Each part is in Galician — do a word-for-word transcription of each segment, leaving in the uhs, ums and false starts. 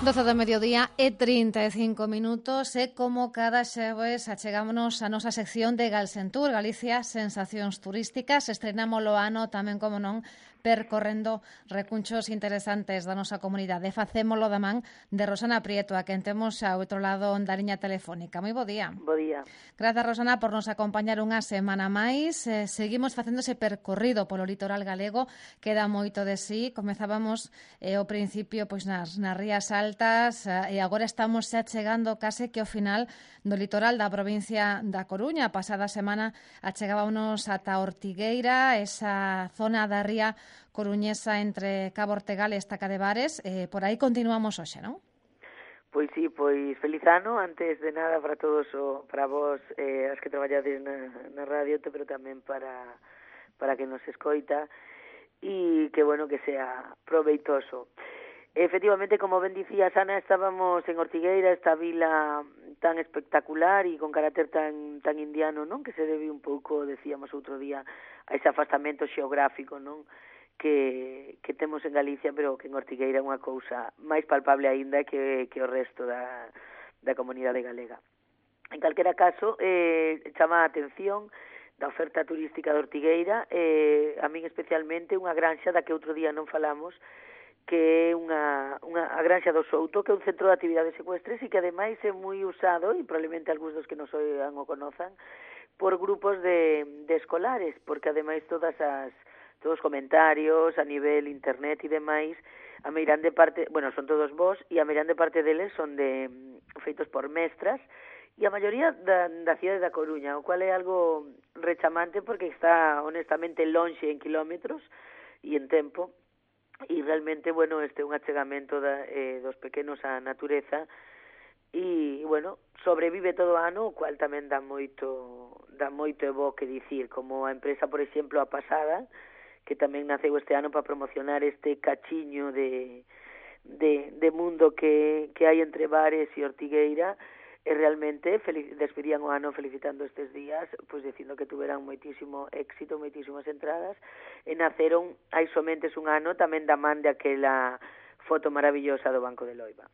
doce do mediodía e trinta e cinco minutos e como cada xoves achegámonos a nosa sección de Galsentur, Galicia Sensacións Turísticas. Estrenámolo ano tamén, como non, percorrendo recunchos interesantes da nosa comunidade. Facémolo da man de Rosana Prieto, a quen temos ao outro lado da liña telefónica. Moi bo día. Bo día. Grazas, Rosana, por nos acompañar unha semana máis. Eh, seguimos facendo ese percorrido polo litoral galego, queda moito de sí. Comezábamos eh, ao principio pois nas, nas rías altas eh, e agora estamos xa chegando case que ao final do litoral da provincia da Coruña. A pasada semana achegábamos ata Ortigueira, esa zona da ría coruñesa entre Cabo Ortegal e Estaca de Bares. Eh, por aí continuamos hoxe, non? Pois sí, pois feliz ano, antes de nada para todos, o, para vos, eh, as que traballades na, na radio, pero tamén para, para que nos escoita, e que bueno, que sea proveitoso. Efectivamente, como ben dicía Ana, estábamos en Ortigueira, esta vila tan espectacular e con carácter tan tan indiano, non? Que se debe un pouco, decíamos outro día, a ese afastamento xeográfico, non? Que, que temos en Galicia, pero que en Ortigueira é unha cousa máis palpable aínda que, que o resto da, da comunidade galega. En calquera caso, eh, chama a atención da oferta turística de Ortigueira, eh, a min especialmente unha granxa da que outro día non falamos, que é unha, unha a granxa do Souto, que é un centro de actividades ecuestres e que ademais é moi usado, e probablemente algúns dos que nos oigan o conozan, por grupos de, de escolares, porque ademais todas as todos os comentarios a nivel internet e demais, a meirande parte, bueno, son todos vos, e a meirande parte deles son de feitos por mestras, e a maioría da, da cidade da Coruña, o cual é algo rechamante porque está honestamente lonxe en kilómetros e en tempo, e realmente, bueno, este é un achegamento da, eh, dos pequenos á natureza, e, bueno, sobrevive todo o ano, o cual tamén dá moito, dá moito e bo que dicir, como a empresa, por exemplo, a pasada, que tamén naceu este ano para promocionar este cachiño de, de, de mundo que, que hai entre Bares e Ortigueira, e realmente despedían o ano felicitando estes días, pois dicindo que tuveran moitísimo éxito, moitísimas entradas, e naceron hai somente un ano tamén da man de aquela foto maravillosa do Banco de Loiba.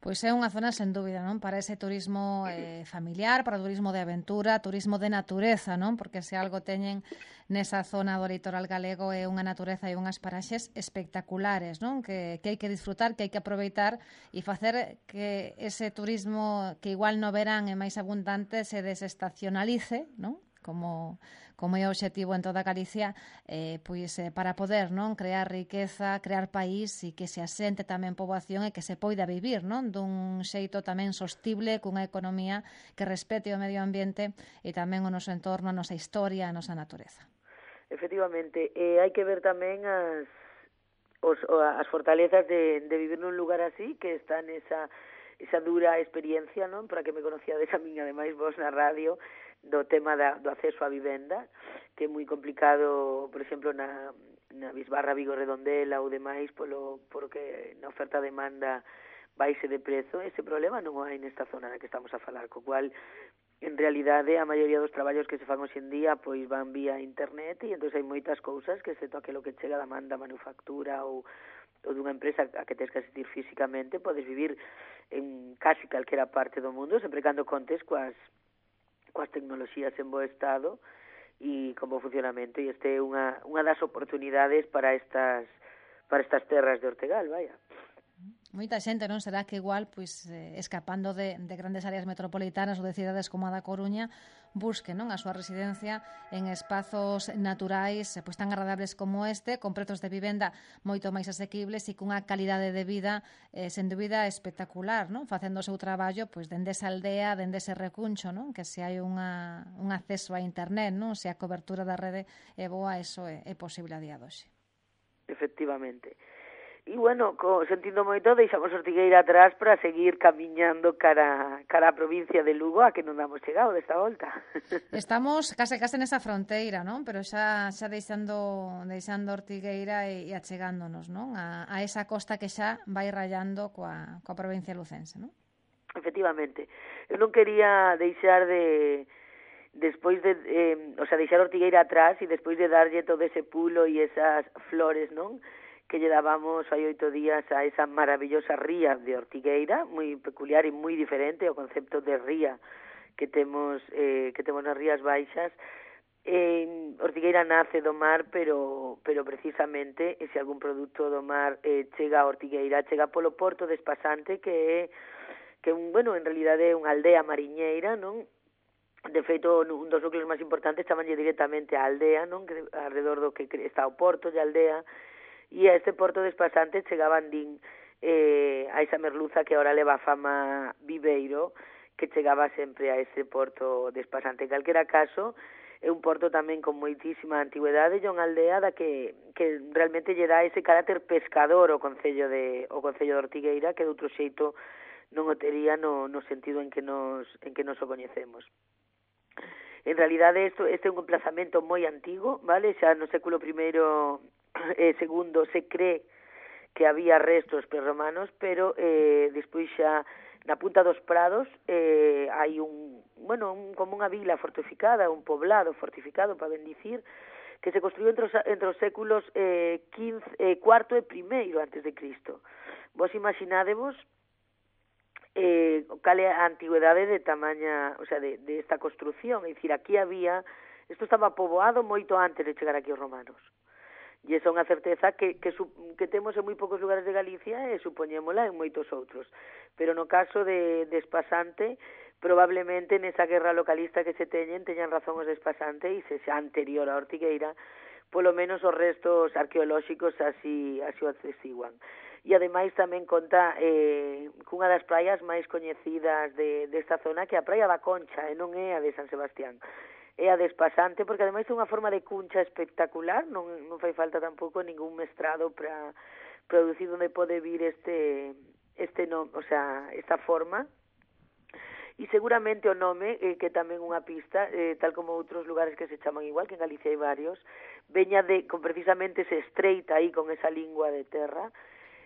Pois é unha zona sen dúbida, non? Para ese turismo eh, familiar, para o turismo de aventura, turismo de natureza, non? Porque se algo teñen nesa zona do litoral galego é unha natureza e unhas paraxes espectaculares, non? Que, que hai que disfrutar, que hai que aproveitar e facer que ese turismo que igual no verán é máis abundante se desestacionalice, non? Como, como é o obxectivo en toda Galicia, eh, pois eh, para poder non crear riqueza, crear país e que se asente tamén poboación e que se poida vivir non dun xeito tamén sostible, cunha economía que respete o medio ambiente e tamén o noso entorno, a nosa historia, a nosa natureza. Efectivamente, eh, hai que ver tamén as, os, as fortalezas de, de vivir nun lugar así, que está nesa esa dura experiencia, non? Para que me conocíades a min, ademais, vos na radio, do tema da, do acceso á vivenda, que é moi complicado, por exemplo, na, na Bisbarra, Vigo, Redondela ou demais, polo, porque na oferta-demanda baixe de prezo. Ese problema non o hai nesta zona na que estamos a falar, co cual, en realidade, a maioría dos traballos que se fan hoxe en día pois van vía internet, e entón hai moitas cousas que, excepto aquilo que chega da manda manufactura ou ou dunha empresa a que tens que asistir físicamente, podes vivir en casi calquera parte do mundo, sempre cando contes coas, coas tecnoloxías en bo estado e con bo funcionamento, e este é unha, unha das oportunidades para estas para estas terras de Ortegal, vaya. Moita xente, non? Será que igual, pois, eh, escapando de, de grandes áreas metropolitanas ou de cidades como a da Coruña, busque, non, a súa residencia en espazos naturais pois tan agradables como este, con prezos de vivenda moito máis asequibles e cunha calidade de vida eh, sen dúbida espectacular, non? Facendo o seu traballo pois dende esa aldea, dende ese recuncho, non? Que se hai unha, un acceso a internet, non? Se a cobertura da rede é boa, eso é, é posible a día doxe. Efectivamente. E, bueno, co, sentindo moito, deixamos Ortigueira atrás para seguir camiñando cara, cara a provincia de Lugo, a que non damos chegado desta volta. Estamos case case nesa fronteira, non? Pero xa xa deixando deixando Ortigueira e, e achegándonos, non? A, a esa costa que xa vai rayando coa, coa provincia lucense, non? Efectivamente. Eu non quería deixar de... despois de, eh, o sea, deixar Ortigueira atrás e despois de darlle todo ese pulo e esas flores, non? que lle dábamos hai oito días a esa maravillosa ría de Ortigueira, moi peculiar e moi diferente ao concepto de ría que temos eh, que temos nas Rías Baixas. Eh, Ortigueira nace do mar, pero pero precisamente, e se algún produto do mar eh, chega a Ortigueira, chega polo porto de Espasante, que é que un, bueno, en realidade é unha aldea mariñeira, non? De feito, un dos núcleos máis importantes chamanlle directamente a aldea, non? Que alrededor do que está o porto de aldea, e a este porto de Espasante chegaban din eh, a esa merluza que ahora leva a fama Viveiro, que chegaba sempre a ese porto de Espasante. En calquera caso, é un porto tamén con moitísima antigüedade e unha aldea da que, que realmente lle dá ese carácter pescador ao concello de o concello de Ortigueira, que de outro xeito non o tería no, no sentido en que nos en que nos o coñecemos. En realidade, isto, este é un emplazamento moi antigo, vale? Xa no século primeiro e segundo se cree que había restos prerromanos, pero eh, despois xa na punta dos Prados eh, hai un, bueno, un, como unha vila fortificada, un poblado fortificado, para ben dicir, que se construiu entre os, entre os séculos eh, quince, eh, cuarto e primeiro antes de Cristo. Vos imaginadevos eh, cal é a antigüedade de tamaña, o sea, de, de esta construción, é dicir, aquí había, isto estaba poboado moito antes de chegar aquí os romanos. E esa é unha certeza que, que, que temos en moi poucos lugares de Galicia e supoñémola en moitos outros. Pero no caso de, de Espasante, probablemente nesa guerra localista que se teñen, teñan razón os de Espasante e se xa anterior a Ortigueira, polo menos os restos arqueolóxicos así, así o atestiguan. E ademais tamén conta eh, cunha das praias máis coñecidas de, desta zona, que é a Praia da Concha, e non é a de San Sebastián. É a de Espasante, porque ademais é unha forma de cuncha espectacular, non, non fai falta tampouco ningún mestrado para producir onde pode vir este, este no, o sea, esta forma. E seguramente o nome, eh, que tamén unha pista, eh, tal como outros lugares que se chaman igual, que en Galicia hai varios, veña de, con precisamente se estreita aí con esa lingua de terra,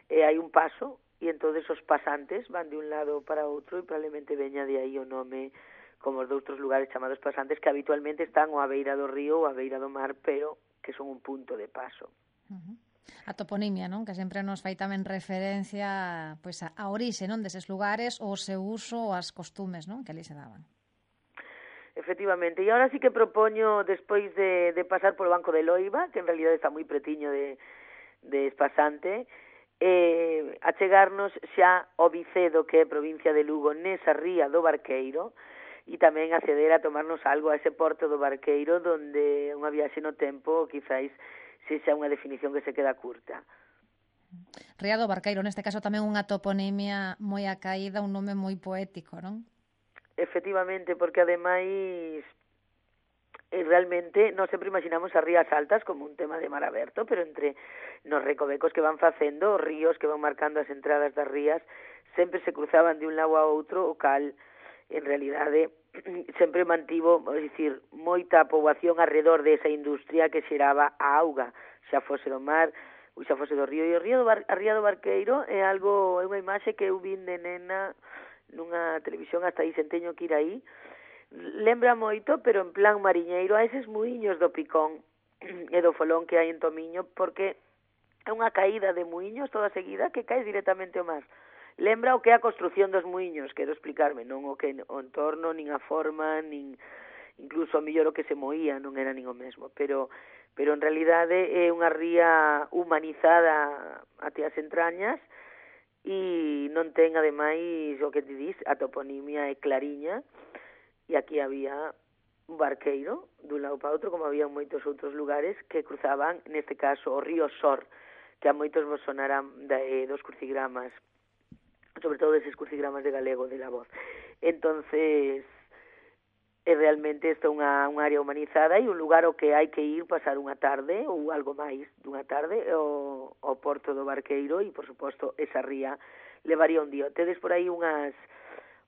e hai un paso, e entonces os pasantes van de un lado para outro, e probablemente veña de aí o nome, como os de outros lugares chamados pasantes, que habitualmente están ou a beira do río ou a beira do mar, pero que son un punto de paso. Uh-huh. A toponimia, non? Que sempre nos fai tamén referencia pois, a, a orixe, non? Deses lugares, ou o seu uso ou as costumes, non? Que ali se daban. Efectivamente, e agora sí que propoño, despois de, de pasar polo Banco de Loiva, que en realidad está moi pretiño de, de Espasante, eh, achegarnos xa ao Vicedo, que é provincia de Lugo, nesa ría do Barqueiro, e tamén acceder a tomarnos algo a ese porto do Barqueiro, donde unha viaxe no tempo quizáis sexa unha definición que se queda curta. Ría do Barqueiro, neste caso tamén unha toponimia moi acaída, un nome moi poético, non? Efectivamente, porque ademais eh, realmente non sempre imaginamos as rías altas como un tema de mar aberto, pero entre nos recovecos que van facendo, os ríos que van marcando as entradas das rías, sempre se cruzaban de un lado a outro, o cal en realidade sempre mantivo, é dicir, moita poboación alrededor desa industria que xeraba a auga, xa fose do mar ou xa fose do río. E o río do Bar, a ría do Barqueiro é algo, é unha imaxe que eu vin de nena nunha televisión, hasta aí senteño que ir aí. Lembra moito, pero en plan mariñeiro, a eses muiños do Picón e do Folón que hai en Tomiño, porque é unha caída de muiños toda seguida que caes directamente ao mar. Lembra o que é a construción dos muiños, quero explicarme, non o que o entorno, nin a forma, nin incluso a mellor o que se moía non era nin o mesmo, pero pero en realidade é unha ría humanizada até as entrañas e non ten ademais o que te dis, a toponimia é clariña, e aquí había un barqueiro dun lado para outro, como había en moitos outros lugares que cruzaban, neste caso, o río Sor, que a moitos vos sonarán de, dos crucigramas, sobre todo deses crucigramas de galego de la voz. Entonces, é realmente isto unha, unha área humanizada e un lugar ao que hai que ir pasar unha tarde ou algo máis dunha tarde ao, ao porto do Barqueiro e, por suposto, esa ría levaría un día. Tedes por aí unhas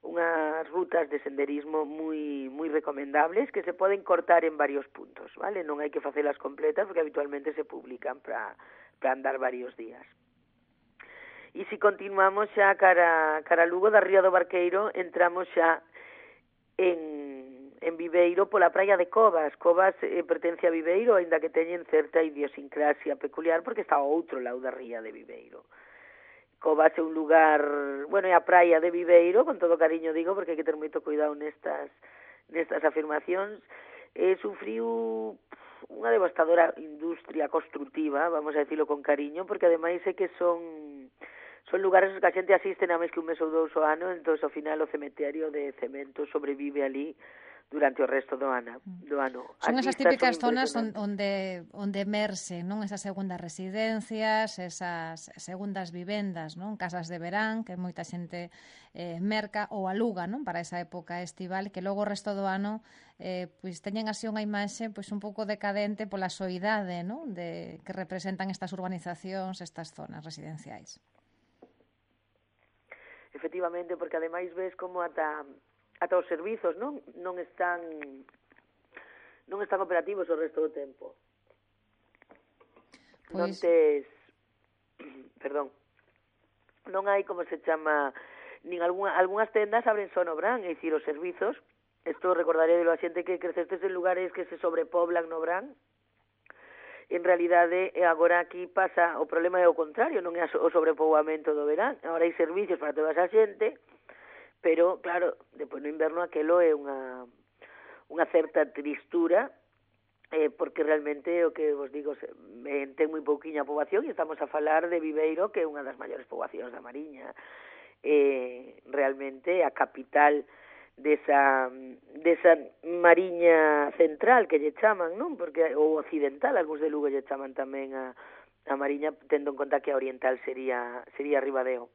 unhas rutas de senderismo moi moi recomendables que se poden cortar en varios puntos, vale? Non hai que facelas completas porque habitualmente se publican para para andar varios días. E se continuamos xa cara, cara Lugo, da ría do Barqueiro, entramos xa en, en Viveiro pola praia de Covas. Covas eh, pertence a Viveiro, aínda que teñen certa idiosincrasia peculiar porque está ao outro lado da ría de Viveiro. Covas é un lugar, bueno, é a praia de Viveiro, con todo cariño digo, porque hai que ter moito cuidado nestas nestas afirmacións. Eh, sufriu unha devastadora industria constructiva, vamos a decirlo con cariño, porque ademais é que son son lugares que a xente asiste nada máis que un mes ou dous ao ano, entón ao final o cementerio de cemento sobrevive ali durante o resto do ano. Do ano. Son esas típicas son zonas onde onde emerse, non, esas segundas residencias, esas segundas vivendas, non, casas de verán que moita xente eh, merca ou aluga, non, para esa época estival, que logo o resto do ano eh, pois teñen así unha imaxe pois un pouco decadente pola soidade, non, de que representan estas urbanizacións, estas zonas residenciais. Efectivamente, porque ademais ves como ata ata os servizos non non están non están operativos o resto do tempo. Pois... Non tes perdón non hai, como se chama, nin algunha, algunhas tendas abren só no verán, é dicir, os servizos, isto recordaré de a xente que crecestes en lugares que se sobrepoblan no verán. En realidade, agora aquí pasa, o problema é o contrario, non é o sobrepoboamento do verán, agora hai servicios para toda esa xente, pero, claro, depois no inverno aquelo é unha, unha certa tristura, eh, porque realmente, o que vos digo, se, eh, ten moi pouquiña poboación, e estamos a falar de Viveiro, que é unha das maiores poboacións da Mariña, eh, realmente a capital desa, desa Mariña central que lle chaman, non? Porque ou occidental, algúns de Lugo lle chaman tamén a, a Mariña, tendo en conta que a oriental sería sería Ribadeo.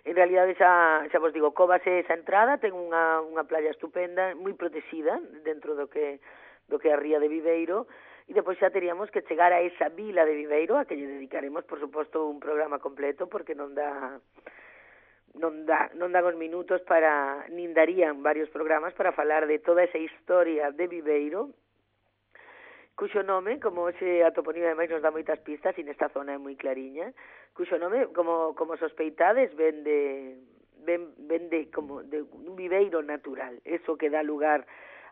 En realidade xa, xa vos digo, Covas é esa entrada, ten unha, unha playa estupenda, moi protexida dentro do que do que é a ría de Viveiro, e depois xa teríamos que chegar a esa vila de Viveiro, a que lle dedicaremos, por suposto, un programa completo, porque non dá non dá, non dan os minutos para, nin darían varios programas para falar de toda esa historia de Viveiro, cuxo nome, como hoxe a toponimia ademais nos dá moitas pistas, e nesta zona é moi clariña, cuxo nome, como, como sospeitades, ven de, ven, ven de, como de un viveiro natural, eso que dá lugar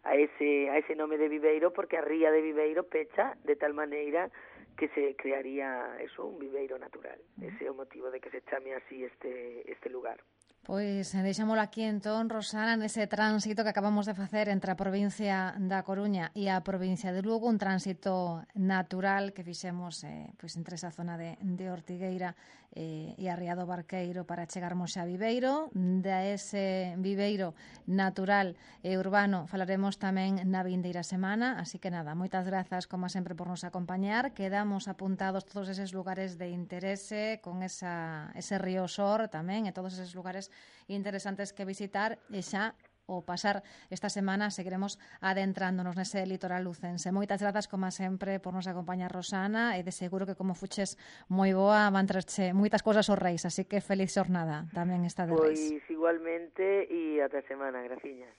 a ese, a ese nome de Viveiro, porque a ría de Viveiro pecha de tal maneira que se crearía eso, un viveiro natural. Ese é o motivo de que se chame así este, este lugar. Pois deixámolo aquí entón, Rosana, nese tránsito que acabamos de facer entre a provincia da Coruña e a provincia de Lugo, un tránsito natural que fixemos eh, pois entre esa zona de, de Ortigueira eh, e a Ría do Barqueiro para chegarmos a Viveiro. De ese viveiro natural e urbano falaremos tamén na vindeira semana, así que nada, moitas grazas como sempre por nos acompañar. Quedamos apuntados todos eses lugares de interese con esa, ese río Sor tamén e todos eses lugares interesantes que visitar, e xa o pasar esta semana seguiremos adentrándonos nese litoral lucense. Moitas grazas, como sempre, por nos acompañar, Rosana, e de seguro que como fuches moi boa van traerche moitas cousas aos reis, así que feliz xornada tamén esta de reis. Pois igualmente, e ata semana, graciñas.